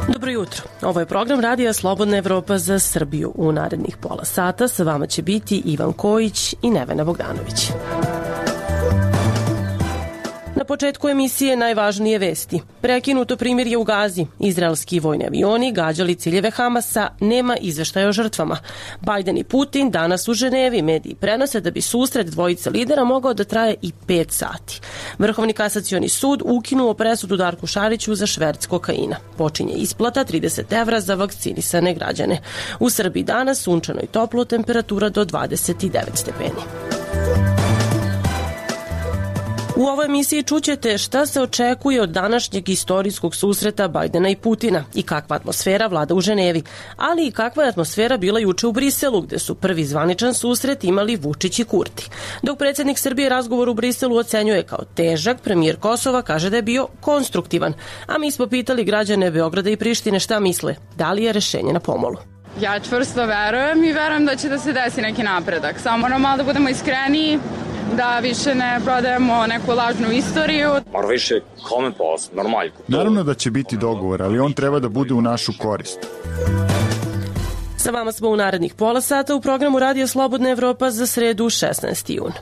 Dobro jutro. Ovo je program Radija Slobodna Evropa za Srbiju. U narednih pola sata sa vama će biti Ivan Kojić i Nevena Bogdanović. Na početku emisije najvažnije vesti. Prekinuto primirje u Gazi. Izraelski vojni avioni gađali ciljeve Hamasa, nema izveštaja o žrtvama. Bajden i Putin danas u Ženevi. Mediji prenose da bi susret dvojice lidera mogao da traje i 5 sati. Vrhovni kasacioni sud ukinuo presudu Darku Šariću za šverc kokaina. Počinje isplata 30 evra za vakcinisane građane. U Srbiji danas sunčano i toplo, temperatura do 29 stepeni. U ovoj emisiji čućete šta se očekuje od današnjeg istorijskog susreta Bajdena i Putina i kakva atmosfera vlada u Ženevi, ali i kakva je atmosfera bila juče u Briselu, gde su prvi zvaničan susret imali Vučić i Kurti. Dok predsjednik Srbije razgovor u Briselu ocenjuje kao težak, premijer Kosova kaže da je bio konstruktivan, a mi smo pitali građane Beograda i Prištine šta misle, da li je rešenje na pomolu. Ja čvrsto verujem i verujem da će da se desi neki napredak. Samo moramo malo da budemo iskreniji, da više ne prodajemo neku lažnu istoriju. Mora više common policy, normalno. Naravno da će biti dogovor, ali on treba da bude u našu korist. Sa vama smo u narednih pola sata u programu Radija Slobodna Evropa za sredu 16. jun.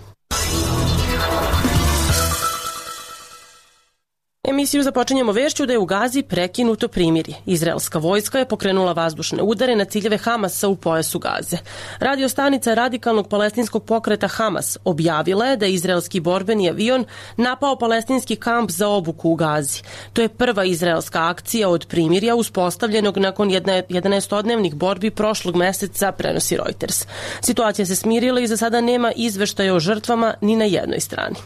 Emisiju započinjemo vešću da je u Gazi prekinuto primirje. Izraelska vojska je pokrenula vazdušne udare na ciljeve Hamasa u pojasu Gaze. Radio stanica radikalnog palestinskog pokreta Hamas objavila je da je izraelski borbeni avion napao palestinski kamp za obuku u Gazi. To je prva izraelska akcija od primirja uspostavljenog nakon 11-dnevnih borbi prošlog meseca, prenosi Reuters. Situacija se smirila i za sada nema izveštaja o žrtvama ni na jednoj strani.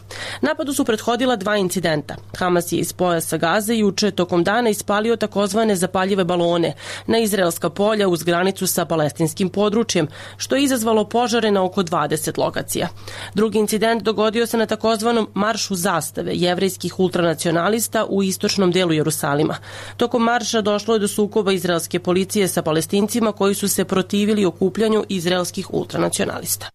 Napadu su prethodila 2 incidenta. Hamas je iz pojasa Gaze juče tokom dana ispalio takozvane zapaljive balone na izraelska polja uz granicu sa palestinskim područjem, što je izazvalo požare na oko 20 lokacija. Drugi incident dogodio se na takozvanom maršu zastave jevrejskih ultranacionalista u istočnom delu Jerusalima. Tokom marša došlo je do sukoba izraelske policije sa Palestincima koji su se protivili okupljanju izraelskih ultranacionalista.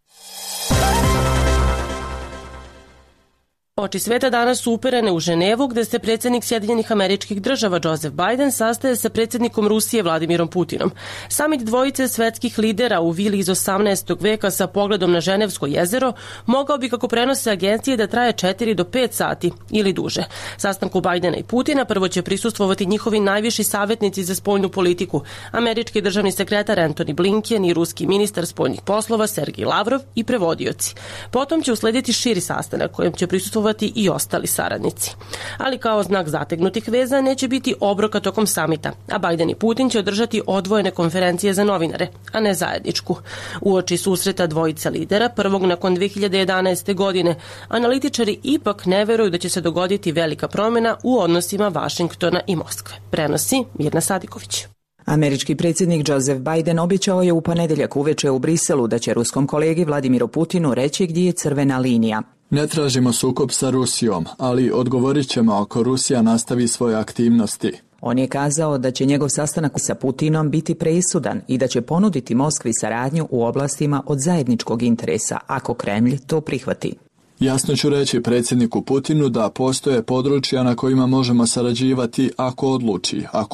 Oči sveta danas su uperene u Ženevu, gde se predsjednik Sjedinjenih Američkih Država Joseph Biden sastaje sa predsjednikom Rusije Vladimirom Putinom. Samit dvojice svetskih lidera u vili iz 18. veka sa pogledom na Ženevsko jezero mogao bi, kako prenose agencije, da traje 4 do 5 sati ili duže. Sastanku Bajdena i Putina prvo će prisustvovati njihovi najviši savjetnici za spoljnu politiku, američki državni sekretar Antony Blinken i ruski ministar spoljnih poslova Sergej Lavrov i prevodioci. Potom će uslediti širi sastanak kojem će prisustvovati i ostali saradnici. Ali kao znak zategnutih veza neće biti obroka tokom samita, a Bajden i Putin će održati odvojene konferencije za novinare, a ne zajedničku. Uoči susreta dvojica lidera, prvog nakon 2011. godine, analitičari ipak ne veruju da će se dogoditi velika promjena u odnosima Vašingtona i Moskve. Prenosi Mirna Sadiković. Američki predsjednik Joseph Biden obećao je u ponedjeljak uveče u Briselu da će ruskom kolegi Vladimiru Putinu reći gdje je crvena linija. Ne tražimo sukob sa Rusijom, ali odgovorit ćemo ako Rusija nastavi svoje aktivnosti. On je kazao da će njegov sastanak sa Putinom biti presudan i da će ponuditi Moskvi saradnju u oblastima od zajedničkog interesa, ako Kremlj to prihvati. Jasno ću reći predsjedniku Putinu da postoje područja na kojima možemo sarađivati ako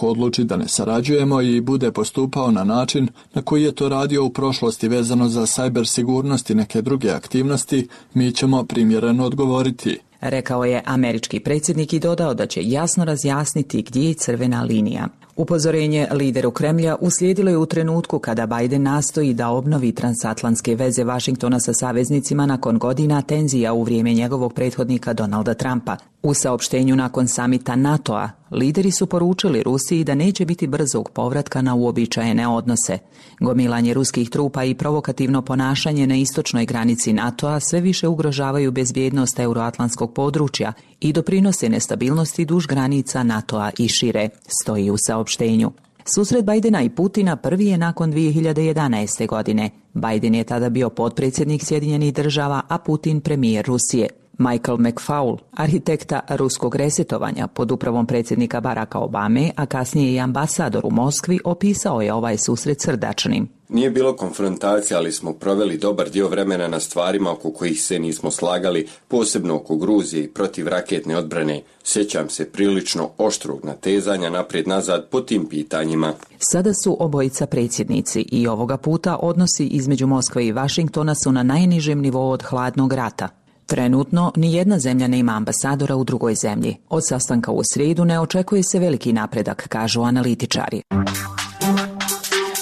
odluči da ne sarađujemo i bude postupao na način na koji je to radio u prošlosti vezano za cyber sigurnost i neke druge aktivnosti, mi ćemo primjereno odgovoriti. Rekao je američki predsjednik i dodao da će jasno razjasniti gdje je crvena linija. Upozorenje lideru Kremlja uslijedilo je u trenutku kada Biden nastoji da obnovi transatlantske veze Vašingtona sa saveznicima nakon godina tenzija u vrijeme njegovog prethodnika Donalda Trumpa. U saopštenju nakon samita NATO-a, lideri su poručili Rusiji da neće biti brzog povratka na uobičajene odnose. Gomilanje ruskih trupa i provokativno ponašanje na istočnoj granici NATO-a sve više ugrožavaju bezbjednost euroatlantskog područja i doprinose nestabilnosti duž granica NATO-a i šire, stoji u saopštenju. Susret Bajdena i Putina prvi je nakon 2011. godine. Biden je tada bio potpredsjednik Sjedinjenih Država, a Putin premijer Rusije. Michael McFaul, arhitekta ruskog resetovanja pod upravom predsjednika Baracka Obame, a kasnije i ambasador u Moskvi, opisao je ovaj susret srdačnim. Nije bilo konfrontacije, ali smo proveli dobar dio vremena na stvarima oko kojih se nismo slagali, posebno oko Gruzije i protivraketne odbrane. Sjećam se prilično oštrog natezanja naprijed-nazad po tim pitanjima. Sada su obojica predsjednici i ovoga puta odnosi između Moskve i Vašingtona su na najnižem nivou od hladnog rata. Trenutno nijedna zemlja nema ambasadora u drugoj zemlji. Od sastanka u srijedu ne očekuje se veliki napredak, kažu analitičari.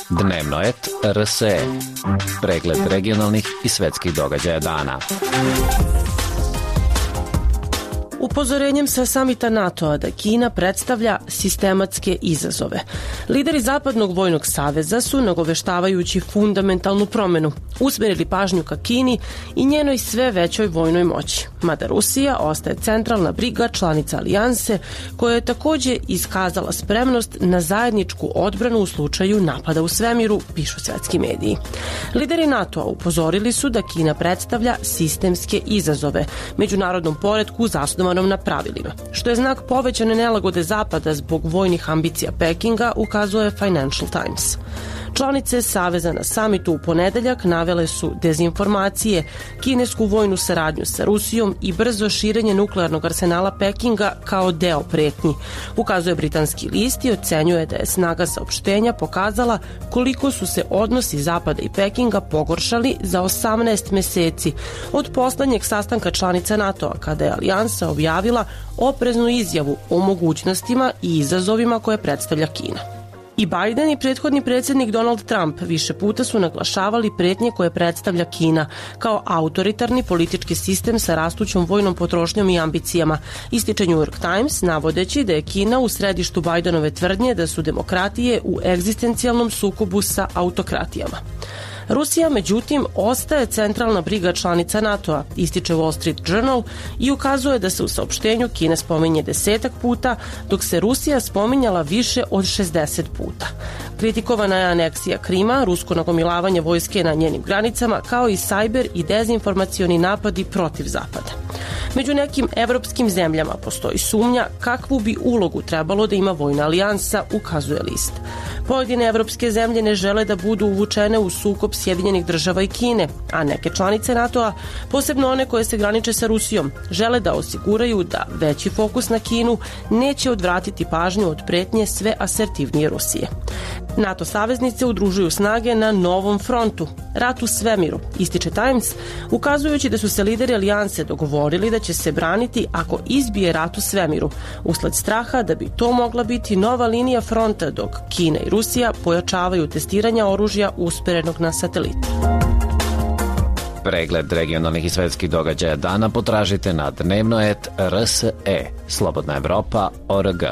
Dnevnoet RSE. Pregled regionalnih i svetskih događaja dana. Upozorenjem sa samita NATO-a da Kina predstavlja sistematske izazove. Lideri Zapadnog vojnog saveza su, nagoveštavajući fundamentalnu promjenu, usmjerili pažnju ka Kini i njenoj sve većoj vojnoj moći. Mada Rusija ostaje centralna briga članica alijanse, koja je također iskazala spremnost na zajedničku odbranu u slučaju napada u svemiru, pišu svetski mediji. Lideri NATO-a upozorili su da Kina predstavlja sistemske izazove međunarodnom poretku zasnovanom na pravilima, što je znak povećane nelagode Zapada zbog vojnih ambicija Pekinga, ukazuje Financial Times. Članice Saveza na samitu u ponedeljak navele su dezinformacije, kinesku vojnu saradnju sa Rusijom i brzo širenje nuklearnog arsenala Pekinga kao deo pretnji, ukazuje britanski list i ocenjuje da je snaga saopštenja pokazala koliko su se odnosi Zapada i Pekinga pogoršali za 18 meseci od poslednjeg sastanka članica NATO-a, kada je alijansa objavila opreznu izjavu o mogućnostima i izazovima koje predstavlja Kina. I Biden i prethodni predsjednik Donald Trump više puta su naglašavali pretnje koje predstavlja Kina kao autoritarni politički sistem sa rastućom vojnom potrošnjom i ambicijama, ističe New York Times, navodeći da je Kina u središtu Bidenove tvrdnje da su demokratije u egzistencijalnom sukobu sa autokratijama. Rusija, međutim, ostaje centralna briga članica NATO-a, ističe Wall Street Journal i ukazuje da se u saopštenju Kina spominje 10 puta, dok se Rusija spominjala više od 60 puta. Kritikovana je aneksija Krima, rusko nagomilavanje vojske na njenim granicama, kao i sajber i dezinformacioni napadi protiv Zapada. Među nekim evropskim zemljama postoji sumnja kakvu bi ulogu trebalo da ima vojna alijansa, ukazuje list. Pojedine evropske zemlje ne žele da budu uvučene u sukob Sjedinjenih država i Kine, a neke članice NATO-a, posebno one koje se graniče sa Rusijom, žele da osiguraju da veći fokus na Kinu neće odvratiti pažnju od pretnje sve asertivnije Rusije. NATO saveznice udružuju snage na novom frontu, rat u svemiru, ističe Times, ukazujući da su se lideri alijanse dogovorili da će se braniti ako izbije rat u svemiru, usled straha da bi to mogla biti nova linija fronta dok Kina i Rusija pojačavaju testiranja oružja usperenog na satelitu. Pregled regionalnih i svetskih događaja dana potražite na Dnevnoet RSE, Slobodna Evropa.org.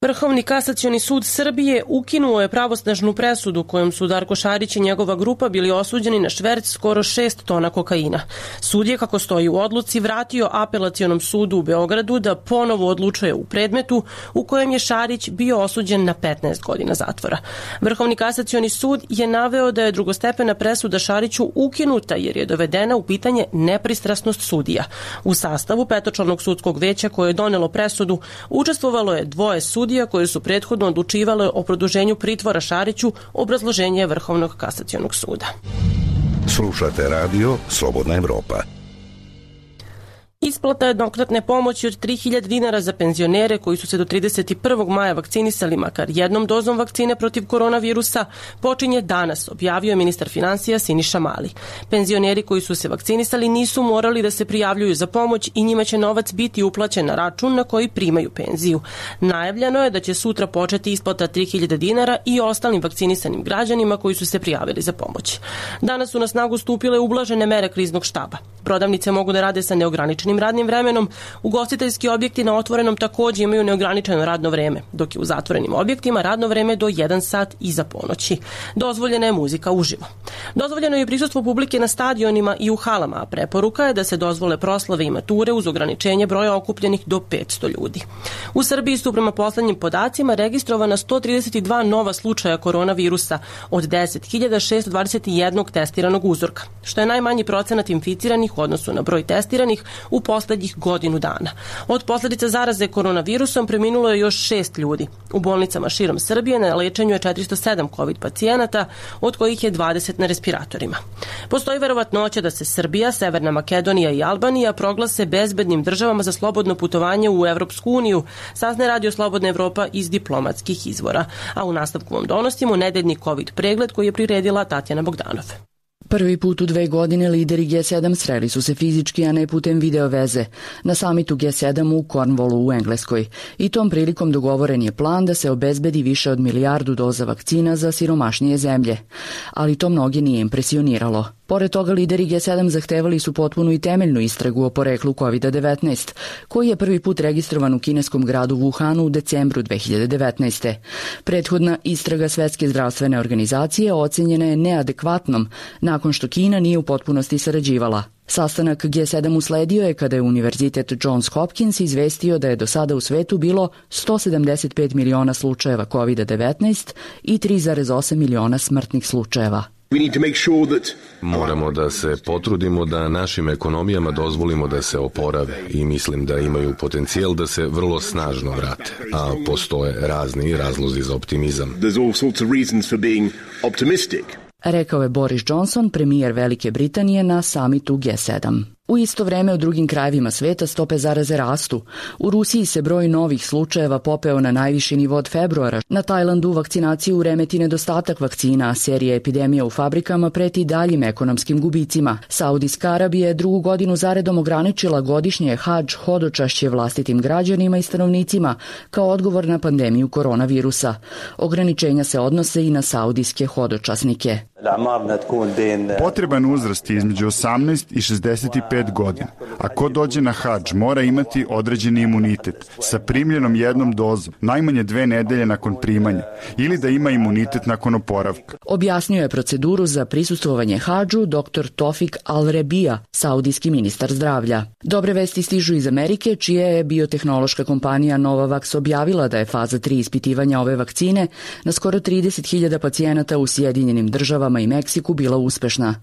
Vrhovni kasacioni sud Srbije ukinuo je pravosnažnu presudu kojom su Darko Šarić i njegova grupa bili osuđeni na šverc skoro 6 tona kokaina. Sud je, kako stoji u odluci, vratio apelacionom sudu u Beogradu da ponovo odlučuje u predmetu u kojem je Šarić bio osuđen na 15 godina zatvora. Vrhovni kasacioni sud je naveo da je drugostepena presuda Šariću ukinuta jer je dovedena u pitanje nepristrasnost sudija. U sastavu petočlanog sudskog veća koje je donelo presudu učestvovalo je 2 sudija koje su prethodno odlučivale o produženju pritvora Šariću, obrazloženje Vrhovnog kasacionog suda. Slušate radio Slobodna Evropa. Isplata jednokratne pomoći od 3.000 dinara za penzionere koji su se do 31. maja vakcinisali makar jednom dozom vakcine protiv koronavirusa počinje danas, objavio ministar finansija Siniša Mali. Penzioneri koji su se vakcinisali nisu morali da se prijavljuju za pomoć i njima će novac biti uplaćen na račun na koji primaju penziju. Najavljeno je da će sutra početi isplata 3.000 dinara i ostalim vakcinisanim građanima koji su se prijavili za pomoć. Danas su na snagu stupile ublažene mere kriznog štaba. Prodavnice mogu da rade sa neograničenim slobodnim radnim vremenom, ugostiteljski objekti na otvorenom takođe imaju neograničeno radno vreme, dok je u zatvorenim objektima radno vreme do 1 sat iza ponoći. Dozvoljena je muzika uživo. Dozvoljeno je prisustvo publike na stadionima i u halama, a preporuka je da se dozvole proslave i mature uz ograničenje broja okupljenih do 500 ljudi. U Srbiji su prema poslednjim podacima registrovana 132 nova slučaja koronavirusa od 10.621 testiranog uzorka, što je najmanji procenat inficiranih u odnosu na broj testiranih u poslednjih godinu dana. Od posledica zaraze koronavirusom preminulo je još 6 ljudi. U bolnicama širom Srbije na lečenju je 407 COVID pacijenata, od kojih je 20 na respiratorima. Postoji verovatnoća da se Srbija, Severna Makedonija i Albanija proglase bezbednim državama za slobodno putovanje u Evropsku uniju, saznaje Radio Slobodna Evropa iz diplomatskih izvora. A u nastavku vam donosimo nedeljni COVID pregled koji je priredila Tatjana Bogdanov. Prvi put u 2 godine lideri G7 sreli su se fizički, a ne putem video veze, na samitu G7 u Cornwallu u Engleskoj. I tom prilikom dogovoren je plan da se obezbedi više od 1 milijardu doza vakcina za siromašnije zemlje. Ali to mnoge nije impresioniralo. Pored toga, lideri G7 zahtevali su potpunu i temeljnu istragu o poreklu COVID-19, koji je prvi put registrovan u kineskom gradu Wuhanu u decembru 2019. Prethodna istraga Svetske zdravstvene organizacije ocenjena je neadekvatnom, nakon što Kina nije u potpunosti sarađivala. Sastanak G7 usledio je kada je Univerzitet Johns Hopkins izvestio da je do sada u svetu bilo 175 miliona slučajeva COVID-19 i 3,8 miliona smrtnih slučajeva. Moramo da se potrudimo da našim ekonomijama dozvolimo da se oporave i mislim da imaju potencijal da se vrlo snažno vrate, a postoje razni razlozi za optimizam. Rekao je Boris Johnson, premijer Velike Britanije na samitu G7. U isto vreme u drugim krajevima sveta stope zaraze rastu. U Rusiji se broj novih slučajeva popeo na najviši nivo od februara. Na Tajlandu vakcinaciju remeti nedostatak vakcina, a serija epidemija u fabrikama preti daljim ekonomskim gubicima. Saudijska Arabija je 2. godinu zaredom ograničila godišnje hadž hodočašće vlastitim građanima i stanovnicima kao odgovor na pandemiju koronavirusa. Ograničenja se odnose i na saudijske hodočasnike. Potreban uzrast je između 18 i 65 godina. A ko dođe na hadž mora imati određeni imunitet sa primljenom 1 dozom, najmanje 2 nedelje nakon primanja, ili da ima imunitet nakon oporavka. Objasnio je proceduru za prisustvovanje hadžu dr. Tofik Al-Rebija, saudijski ministar zdravlja. Dobre vesti stižu iz Amerike, čija je biotehnološka kompanija Novavax objavila da je faza 3 ispitivanja ove vakcine na skoro 30.000 pacijenata u Sjedinjenim Državama i Meksiku bila uspešna.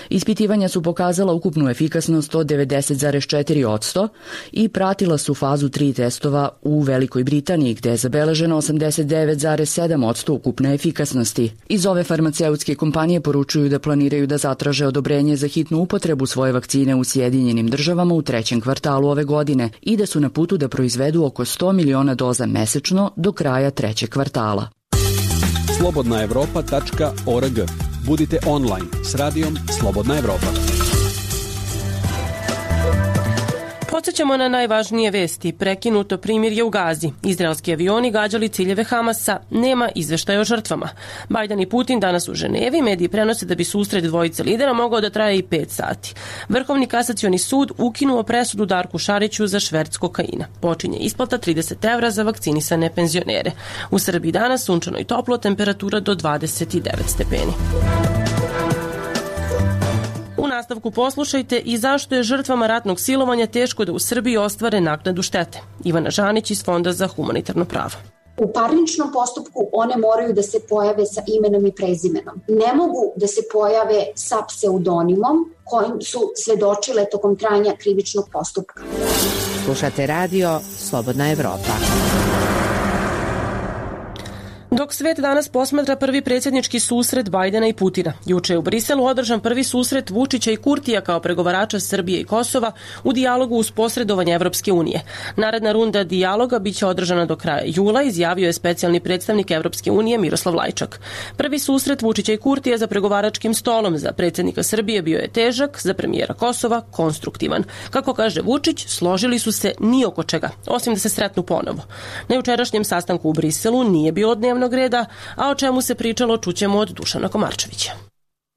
Ispitivanja su pokazala ukupnu efikasnost od 90,4% i pratila su fazu 3 testova u Velikoj Britaniji, gde je zabeleženo 89,7% ukupne efikasnosti. Iz ove farmaceutske kompanije poručuju da planiraju da zatraže odobrenje za hitnu upotrebu svoje vakcine u Sjedinjenim Državama u 3. kvartalu ove godine i da su na putu da proizvedu oko 100 miliona doza mesečno do kraja 3. kvartala. slobodnaevropa.org. Budite online s radijom Slobodna Evropa. Podsjećamo na najvažnije vesti. Prekinuto primirje u Gazi. Izraelski avioni gađali ciljeve Hamasa. Nema izveštaja o žrtvama. Bajden i Putin danas u Ženevi. Mediji prenose da bi susret dvojice lidera mogao da traje i 5 sati. Vrhovni kasacioni sud ukinuo presudu Darku Šariću za šverc kokaina. Počinje isplata 30 evra za vakcinisane penzionere. U Srbiji danas sunčano i toplo, temperatura do 29 stepeni. U nastavku poslušajte i zašto je žrtvama ratnog silovanja teško da u Srbiji ostvare naknadu štete. Ivana Žanić iz Fonda za humanitarno pravo. U parničnom postupku one moraju da se pojave sa imenom i prezimenom. Ne mogu da se pojave sa pseudonimom kojim su svedočile tokom trajanja krivičnog postupka. Slušate radio Slobodna Evropa. Dok svet danas posmatra prvi predsjednički susret Bajdena i Putina. Juče je u Briselu održan prvi susret Vučića i Kurtija kao pregovarača Srbije i Kosova u dijalogu uz posredovanje Evropske unije. Naredna runda dijaloga biće održana do kraja jula, izjavio je specijalni predstavnik Evropske unije Miroslav Lajčak. Prvi susret Vučića i Kurtija za pregovaračkim stolom za predsjednika Srbije bio je težak, za premijera Kosova konstruktivan. Kako kaže Vučić, složili su se ni oko čega, osim da se sretnu ponovo. Na jučerašnjem sastanku u Briselu nije bilo dnevnog reda, a o čemu se pričalo čućemo od Dušana Komarčevića.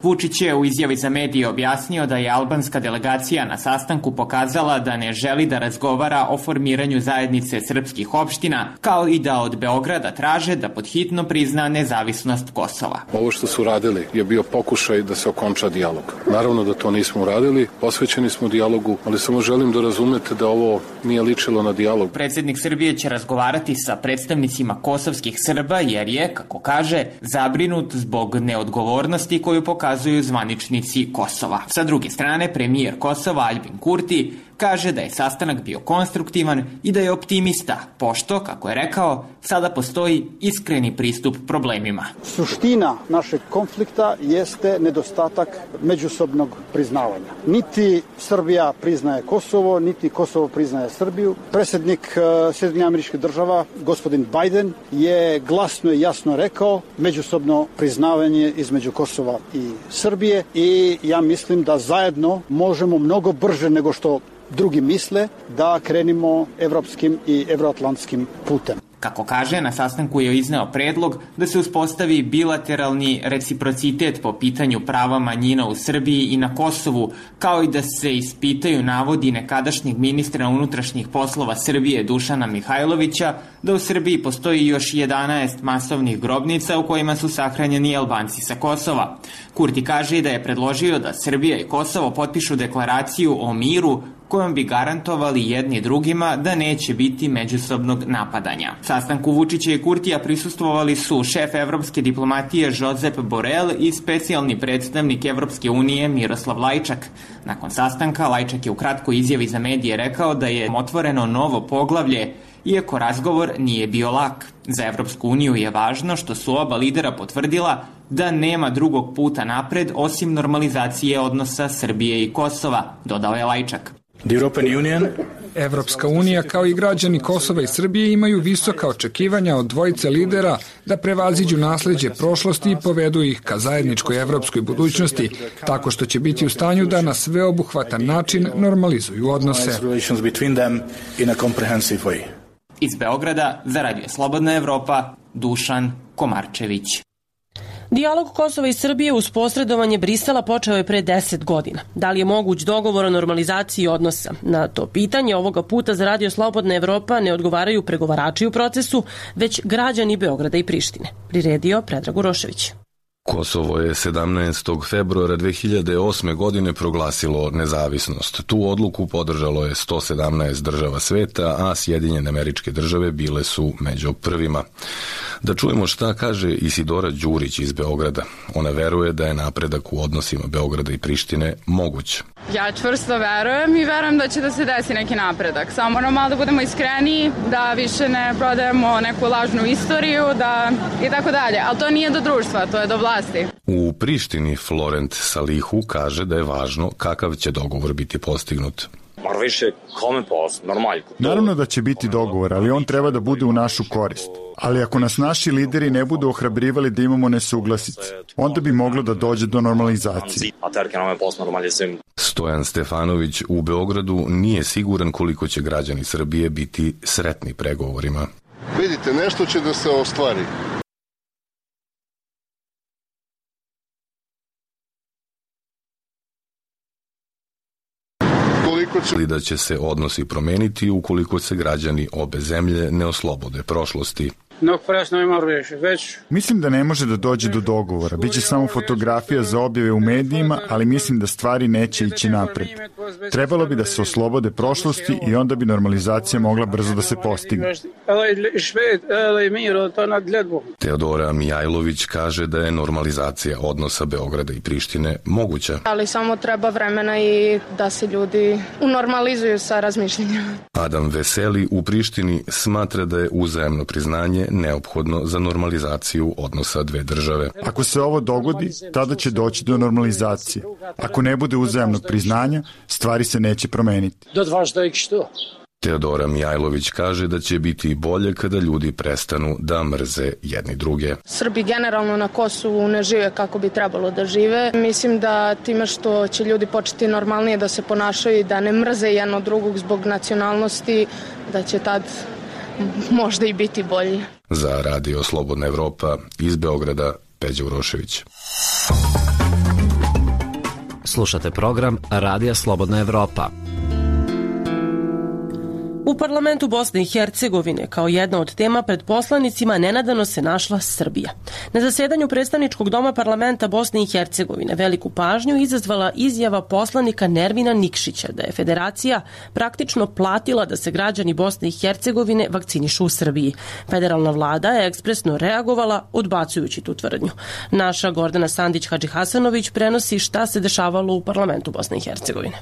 Vučić je u izjavi za medije objasnio da je albanska delegacija na sastanku pokazala da ne želi da razgovara o formiranju zajednice srpskih opština, kao i da od Beograda traže da podhitno prizna nezavisnost Kosova. Ovo što su radili je bio pokušaj da se okonča dijalog. Naravno da to nismo uradili, posvećeni smo dijalogu, ali samo želim da razumete da ovo nije ličilo na dijalog. Predsjednik Srbije će razgovarati sa predstavnicima kosovskih Srba jer je, kako kaže, zabrinut zbog neodgovornosti koju pokazuju zvaničnici Kosova. Sa druge strane, premijer Kosova Aljbin Kurti kaže da je sastanak bio konstruktivan i da je optimista, pošto, kako je rekao, sada postoji iskreni pristup problemima. Suština našeg konflikta jeste nedostatak međusobnog priznavanja. Niti Srbija priznaje Kosovo, niti Kosovo priznaje Srbiju. Predsjednik Sjedinjenih Američkih Država, gospodin Biden, je glasno i jasno rekao međusobno priznavanje između Kosova i Srbije i ja mislim da zajedno možemo mnogo brže nego što drugi misle da krenimo evropskim i evroatlantskim putem. Kako kaže, na sastanku je izneo predlog da se uspostavi bilateralni reciprocitet po pitanju prava manjina u Srbiji i na Kosovu, kao i da se ispitaju navodi nekadašnjeg ministra unutrašnjih poslova Srbije Dušana Mihajlovića da u Srbiji postoji još 11 masovnih grobnica u kojima su sahranjeni Albanci sa Kosova. Kurti kaže da je predložio da Srbija i Kosovo potpišu deklaraciju o miru kojom bi garantovali jedni drugima da neće biti međusobnog napadanja. Sastanku Vučića i Kurtija prisustvovali su šef evropske diplomatije Josep Borrell i specijalni predstavnik Evropske unije Miroslav Lajčak. Nakon sastanka, Lajčak je u kratkoj izjavi za medije rekao da je otvoreno novo poglavlje, iako razgovor nije bio lak. Za Evropsku uniju je važno što su oba lidera potvrdila da nema drugog puta napred osim normalizacije odnosa Srbije i Kosova, dodao je Lajčak. Evropska unija kao i građani Kosova i Srbije imaju visoka očekivanja od dvojice lidera da prevaziđu nasleđe prošlosti i povedu ih ka zajedničkoj evropskoj budućnosti, tako što će biti u stanju da na sveobuhvatan način normalizuju odnose. Iz Beograda za Radio Slobodna Evropa, Dušan Komarčević. Dijalog Kosova i Srbije uz posredovanje Brisela počeo je pre 10 godina. Da li je moguć dogovor o normalizaciji odnosa? Na to pitanje ovoga puta za Radio Slobodna Evropa ne odgovaraju pregovarači u procesu, već građani Beograda i Prištine. Priredio Predrag Urošević. Kosovo je 17. februara 2008. godine proglasilo nezavisnost. Tu odluku podržalo je 117 država sveta, a Sjedinjene Američke Države bile su među prvima. Da čujemo šta kaže Isidora Đurić iz Beograda. Ona veruje da je napredak u odnosima Beograda i Prištine moguć. Ja čvrsto verujem i verujem da će da se desi neki napredak. Samo moramo malo da budemo iskreni, da više ne prodajemo neku lažnu istoriju, da i tako dalje. Ali to nije do društva, to je do vlasti. U Prištini Florent Salihu kaže da je važno kakav će dogovor biti postignut. Naravno da će biti dogovor, ali on treba da bude u našu korist. Ali ako nas naši lideri ne budu ohrabrivali da imamo nesuglasice, onda bi moglo da dođe do normalizacije. Stojan Stefanović u Beogradu nije siguran koliko će građani Srbije biti sretni pregovorima. Vidite, nešto će da se ostvari. Ali da će se odnosi promeniti ukoliko se građani obe zemlje ne oslobode prošlosti. Mislim da ne može da dođe do dogovora. Biće samo fotografija za objave u medijima, ali mislim da stvari neće ići napred. Trebalo bi da se oslobode prošlosti i onda bi normalizacija mogla brzo da se postigne. Teodora Mijajlović kaže da je normalizacija odnosa Beograda i Prištine moguća. Ali samo treba vremena i da se ljudi unormalizuju sa razmišljenjima. Adam Veseli u Prištini smatra da je uzajamno priznanje neophodno za normalizaciju odnosa dve države. Ako se ovo dogodi, tada će doći do normalizacije. Ako ne bude uzajamnog priznanja, stvari se neće promeniti. Teodora Mijajlović kaže da će biti bolje kada ljudi prestanu da mrze jedni druge. Srbi generalno na Kosovu ne žive kako bi trebalo da žive. Mislim da time što će ljudi početi normalnije da se ponašaju i da ne mrze jedno drugog zbog nacionalnosti, da će tad možda i biti bolje. Za Radio Slobodna Evropa iz Beograda, Peđa Urošević. Slušate program Radija Slobodna Evropa. U parlamentu Bosne i Hercegovine kao jedna od tema pred poslanicima nenadano se našla Srbija. Na zasedanju predstavničkog doma parlamenta Bosne i Hercegovine veliku pažnju izazvala izjava poslanika Nermina Nikšića da je federacija praktično platila da se građani Bosne i Hercegovine vakcinišu u Srbiji. Federalna vlada je ekspresno reagovala odbacujući tu tvrdnju. Naša Gordana Sandić-Hadžihasanović prenosi šta se dešavalo u parlamentu Bosne i Hercegovine.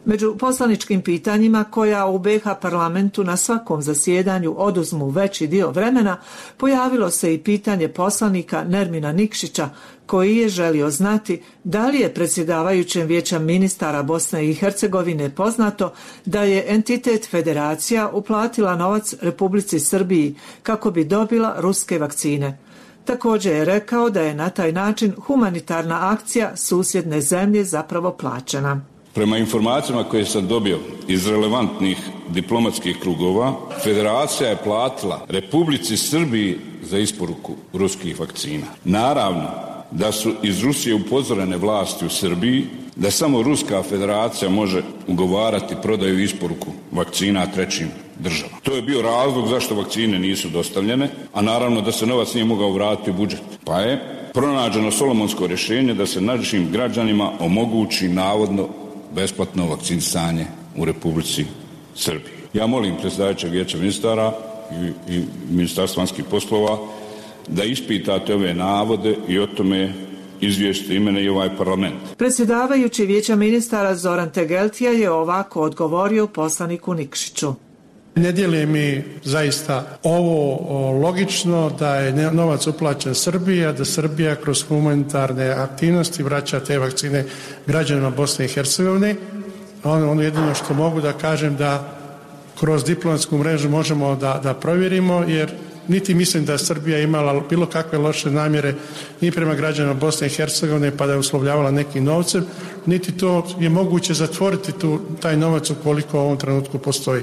Među poslaničkim pitanjima koja u BiH parlamentu na svakom zasjedanju oduzmu veći dio vremena, pojavilo se i pitanje poslanika Nermina Nikšića koji je želio znati da li je predsjedavajućem Vijeća ministara Bosne i Hercegovine poznato da je entitet federacija uplatila novac Republici Srbiji kako bi dobila ruske vakcine. Također je rekao da je na taj način humanitarna akcija susjedne zemlje zapravo plaćena. Prema informacijama koje sam dobio iz relevantnih diplomatskih krugova, federacija je platila Republici Srbiji za isporuku ruskih vakcina. Naravno da su iz Rusije upozorene vlasti u Srbiji da samo Ruska federacija može ugovarati prodaju i isporuku vakcina trećim državama. To je bio razlog zašto vakcine nisu dostavljene, a naravno da se novac nije mogao vratiti u budžet. Pa je pronađeno solomonsko rješenje da se našim građanima omogući navodno besplatno vakcinisanje u Republici Srbiji. Ja molim predsjedavajućeg Vijeća ministara i Ministarstva vanjskih poslova da ispitate ove navode i o tome izvijestite i mene i ovaj parlament. Predsjedavajući Vijeća ministara Zoran Tegeltija je ovako odgovorio poslaniku Nikšiću. Ne dijeli mi zaista ovo logično da je novac uplaćen Srbiji, a da Srbija kroz humanitarne aktivnosti vraća te vakcine građanima Bosne i Hercegovine. Ono jedino što mogu da kažem da kroz diplomatsku mrežu možemo da provjerimo, jer niti mislim da Srbija imala bilo kakve loše namjere ni prema građanima Bosne i Hercegovine pa da je uslovljavala nekim novcem, niti to je moguće zatvoriti taj novac ukoliko u ovom trenutku postoji.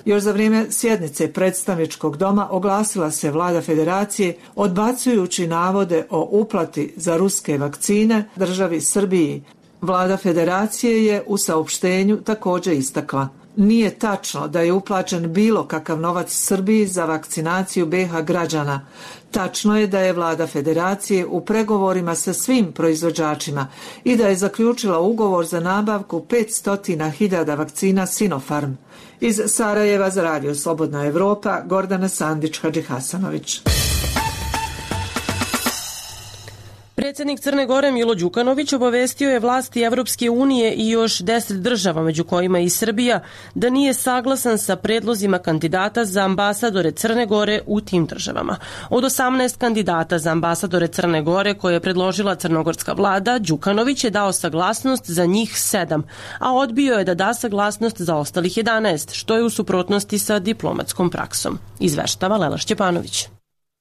Još za vrijeme sjednice predstavničkog doma oglasila se vlada federacije odbacujući navode o uplati za ruske vakcine državi Srbiji. Vlada federacije je u saopštenju također istakla: nije tačno da je uplaćen bilo kakav novac Srbiji za vakcinaciju BiH građana. Tačno je da je vlada federacije u pregovorima sa svim proizvođačima i da je zaključila ugovor za nabavku 500.000 vakcina Sinopharm. Iz Sarajeva za Radio Slobodna Evropa, Gordana Sandić-Hadžihasanović. Predsjednik Crne Gore Milo Đukanović obavestio je vlasti Evropske unije i još 10 država, među kojima i Srbija, da nije saglasan sa predlozima kandidata za ambasadore Crne Gore u tim državama. Od 18 kandidata za ambasadore Crne Gore koje je predložila crnogorska vlada, Đukanović je dao saglasnost za njih 7, a odbio je da da saglasnost za ostalih 11, što je u suprotnosti sa diplomatskom praksom. Izveštava Lela Šćepanović.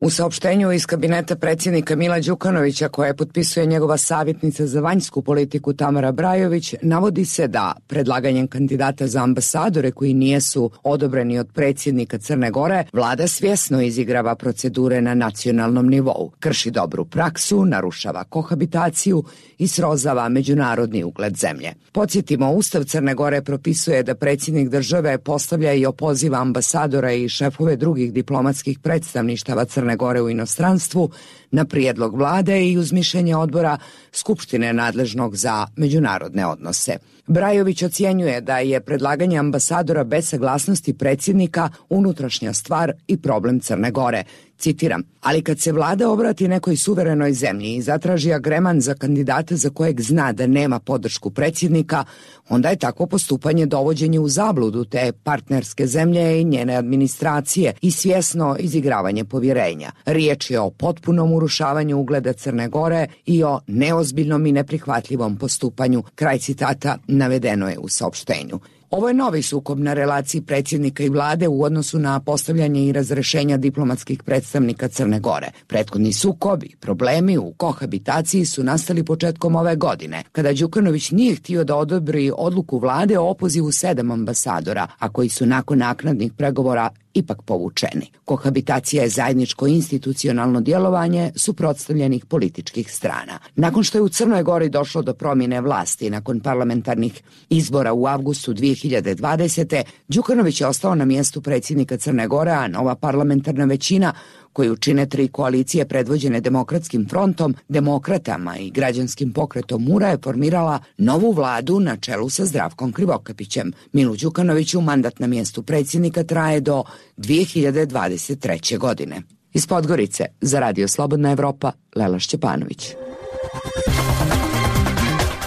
U saopštenju iz kabineta predsjednika Mila Đukanovića, koje potpisuje njegova savjetnica za vanjsku politiku Tamara Brajović, navodi se da predlaganjem kandidata za ambasadore koji nijesu odobreni od predsjednika Crne Gore, vlada svjesno izigrava procedure na nacionalnom nivou, krši dobru praksu, narušava kohabitaciju i srozava međunarodni ugled zemlje. Podsjetimo, Ustav Crne Gore propisuje da predsjednik države postavlja i opoziva ambasadora i šefove drugih diplomatskih predstavništava Crne Gore u inostranstvu na prijedlog vlade i uz mišljenje odbora Skupštine nadležnog za međunarodne odnose. Brajović ocjenjuje da je predlaganje ambasadora bez saglasnosti predsjednika unutrašnja stvar i problem Crne Gore. Citiram: ali kad se vlada obrati nekoj suverenoj zemlji i zatraži agreman za kandidata za kojeg zna da nema podršku predsjednika, onda je takvo postupanje dovođenje u zabludu te partnerske zemlje i njene administracije i svjesno izigravanje povjerenja. Riječ je o potpunom urušavanju ugleda Crne Gore i o neozbiljnom i neprihvatljivom postupanju. Kraj citata navedeno je u saopštenju. Ovo je novi sukob na relaciji predsjednika i vlade u odnosu na postavljanje i razrešenja diplomatskih predstavnika Crne Gore. Prethodni sukob i problemi u kohabitaciji su nastali početkom ove godine, kada Đukanović nije htio da odobri odluku vlade o opozivu 7 ambasadora, a koji su nakon naknadnih pregovora ipak povučeni. Kohabitacija je zajedničko institucionalno djelovanje suprotstavljenih političkih strana. Nakon što je u Crnoj Gori došlo do promjene vlasti nakon parlamentarnih izbora u avgustu 2020. Đukanović je ostao na mjestu predsjednika Crne Gore, a nova parlamentarna većina koju čine 3 koalicije predvođene Demokratskim frontom, Demokratama i Građanskim pokretom Mura je formirala novu vladu na čelu sa Zdravkom Krivokapićem. Milu Đukanoviću mandat na mjestu predsjednika traje do 2023. godine. Iz Podgorice za Radio Slobodna Evropa, Lela Šćepanović.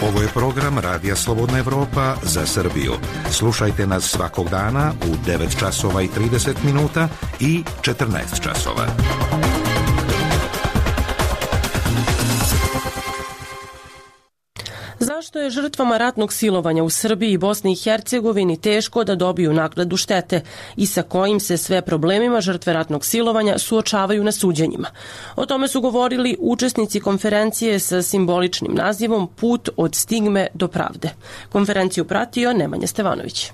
Ovo je program Radija Slobodna Evropa za Srbiju. Slušajte nas svakog dana u 9 časova i 30 minuta i 14 časova. Zašto je žrtvama ratnog silovanja u Srbiji i Bosni i Hercegovini teško da dobiju naknadu štete i sa kojim se sve problemima žrtve ratnog silovanja suočavaju na suđenjima? O tome su govorili učesnici konferencije sa simboličnim nazivom Put od stigme do pravde. Konferenciju pratio Nemanja Stevanović.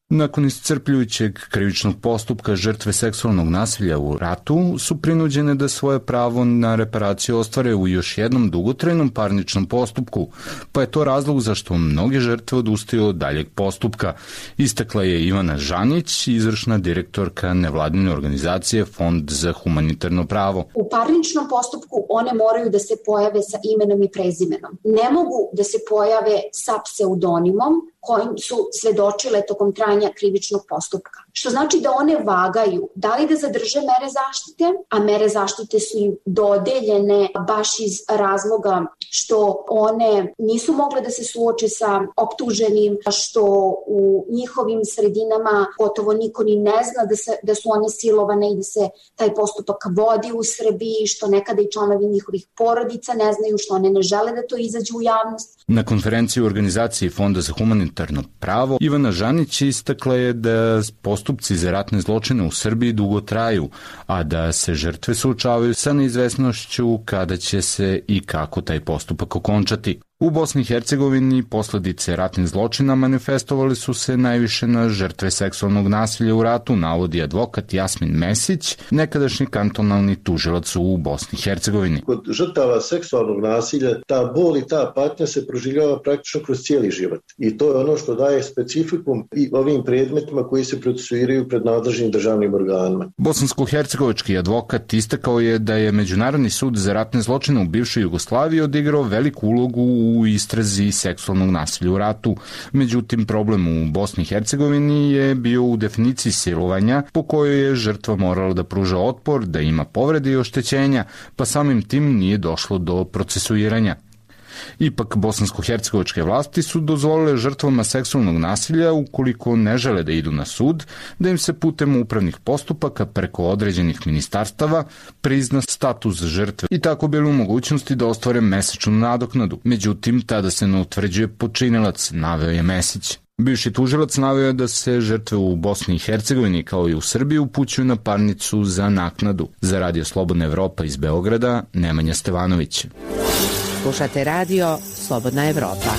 Nakon iscrpljujućeg krivičnog postupka žrtve seksualnog nasilja u ratu su prinuđene da svoje pravo na reparaciju ostvare u još jednom dugotrajnom parničnom postupku, pa je to razlog zašto mnoge žrtve odustaju od daljeg postupka. Istakla je Ivana Žanić, izvršna direktorka nevladine organizacije Fond za humanitarno pravo. U parničnom postupku one moraju da se pojave sa imenom i prezimenom. Ne mogu da se pojave sa pseudonimom kojim su svedočile tokom trajanja krivičnog postupka. Što znači da one vagaju da li da zadrže mere zaštite, a mere zaštite su im dodeljene baš iz razloga što one nisu mogle da se suoče sa optuženim, što u njihovim sredinama gotovo niko ni ne zna da su one silovane i da se taj postupak vodi u Srbiji, što nekada i članovi njihovih porodica ne znaju, što one ne žele da to izađe u javnost. Na konferenciji u organizaciji Fonda za humanitarno pravo Ivana Žanić istakla je da postupci za ratne zločine u Srbiji dugo traju, a da se žrtve suočavaju sa neizvesnošću kada će se i kako taj postupak okončati. U Bosni i Hercegovini posledice ratnih zločina manifestovali su se najviše na žrtve seksualnog nasilja u ratu, navodi advokat Jasmin Mesić, nekadašnji kantonalni tužilac u Bosni i Hercegovini. Kod žrtava seksualnog nasilja ta bol i ta patnja se proživljava praktično kroz cijeli život. I to je ono što daje specifikum i ovim predmetima koji se procesuiraju pred nadležnim državnim organima. Bosansko-hercegovački advokat istakao je da je Međunarodni sud za ratne zločine u bivšoj Jugoslaviji odigrao veliku ulogu u istrazi seksualnog nasilja u ratu. Međutim, problem u Bosni i Hercegovini je bio u definiciji silovanja po kojoj je žrtva morala da pruža otpor, da ima povrede i oštećenja, pa samim tim nije došlo do procesuiranja. Ipak, bosansko-hercegovačke vlasti su dozvolile žrtvama seksualnog nasilja, ukoliko ne žele da idu na sud, da im se putem upravnih postupaka preko određenih ministarstava prizna status žrtve i tako bili u mogućnosti da ostvare mesečnu nadoknadu. Međutim, tada se ne utvrđuje počinilac, naveo je Mesić. Bivši tužilac naveo je da se žrtve u Bosni i Hercegovini kao i u Srbiji upućuju na parnicu za naknadu. Za Radio Slobodna Evropa iz Beograda, Nemanja Stevanović. Slušate Radio Slobodna Evropa.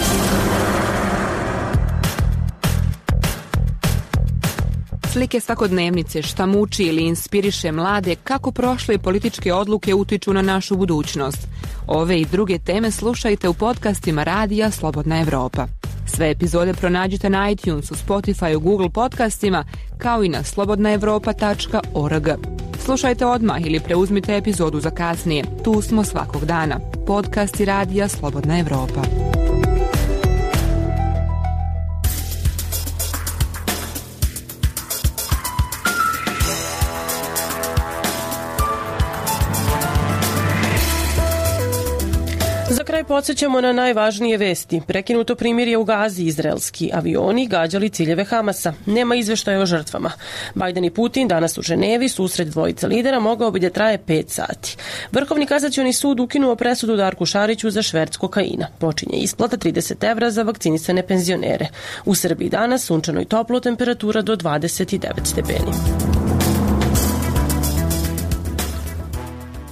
Slike svakodnevnice, šta muči ili inspiriše mlade, kako prošle političke odluke utiču na našu budućnost. Ove i druge teme slušajte u podcastima Radija Slobodna Evropa. Sve epizode pronađite na iTunesu, Spotifyu, Google podcastima, kao i na slobodnaevropa.org. Slušajte odmah ili preuzmite epizodu za kasnije. Tu smo svakog dana. Podcasti Radija Slobodna Evropa. Za kraj podsjećamo na najvažnije vesti. Prekinuto primirje u Gazi, izraelski avioni gađali ciljeve Hamasa. Nema izveštaja o žrtvama. Bajden i Putin danas u Ženevi, susret dvojice lidera mogao bi da traje 5 sati. Vrhovni kasacioni sud ukinuo presudu Darku Šariću za šverc kokaina. Počinje isplata 30 evra za vakcinisane penzionere. U Srbiji danas sunčano i toplo, temperatura do 29 stepeni.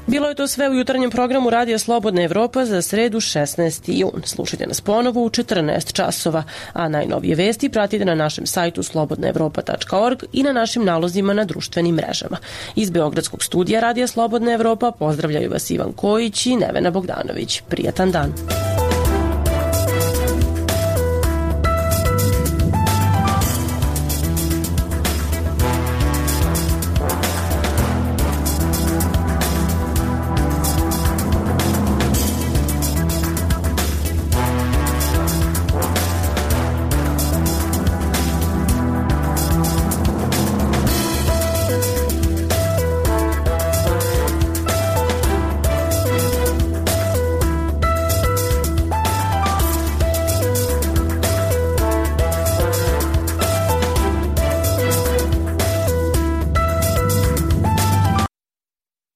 Bilo je to sve u jutarnjem programu Radija Slobodna Evropa za sredu 16. jun. Slušajte nas ponovo u 14 časova, a najnovije vesti pratite na našem sajtu slobodnaevropa.org i na našim nalozima na društvenim mrežama. Iz Beogradskog studija Radija Slobodna Evropa pozdravljaju vas Ivan Kojić i Nevena Bogdanović. Prijatan dan.